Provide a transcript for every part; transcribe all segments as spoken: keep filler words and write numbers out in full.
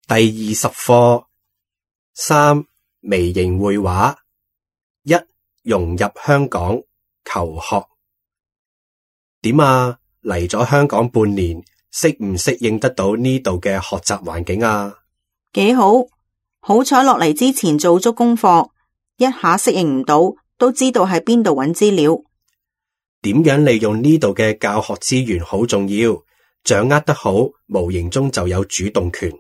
第二十課三微型繪畫一融入香港求學。點啊？嚟咗香港半年，適唔適應得到呢度嘅學習環境啊？幾好，好彩落嚟之前做足功課，一下適應唔到，都知道喺邊度揾資料。點樣利用呢度嘅教學資源好重要，掌握得好，無形中就有主動權。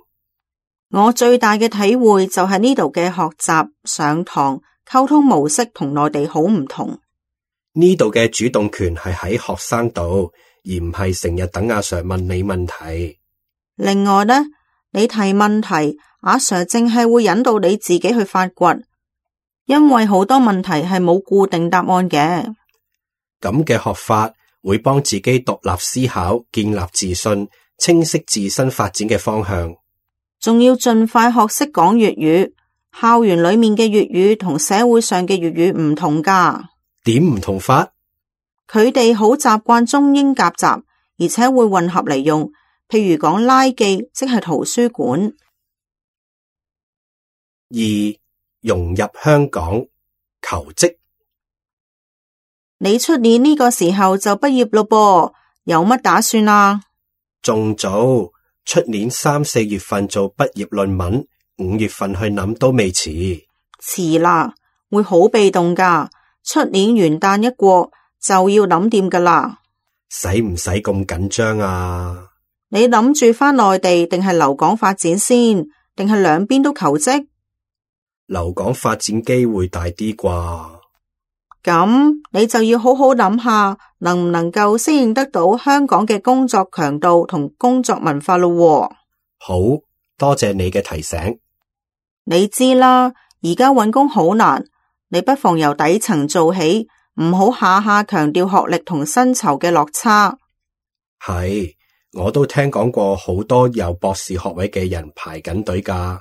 我最大嘅體會就係呢度嘅學習、上堂、溝通模式同內地好唔同。呢度嘅主動權係喺學生度，而唔係成日等阿 Sir 問你問題。另外呢，你提問題，阿 Sir 淨係會引導你自己去發掘，因為好多問題係冇固定答案嘅。咁嘅學法會幫自己獨立思考，建立自信，清晰自身發展嘅方向。仲要盡快學識講粵語，校園裏面嘅粵語同社會上嘅粵語唔同噶。點唔同法？佢哋好習慣中英夾雜，而且會混合嚟用。譬如講拉記，即係圖書館。二融入香港求職。你出年呢個時候就畢業咯噃，有乜打算啊？仲早，出年三四月份做畢業論文，五月份去諗都未遲。遲啦，會好被動噶。出年元旦一過就要諗掂噶啦。使唔使咁緊張啊？你諗住返內地定係留港發展先，定係兩邊都求職？留港發展機會大啲啩？咁你就要好好諗下，能唔能夠適應得到香港嘅工作強度同工作文化咯。好多謝你嘅提醒。你知啦，而家搵工好難，你不妨由底層做起，唔好下下強調學歷同薪酬嘅落差。係，我都聽講過好多有博士學位嘅人排緊隊㗎。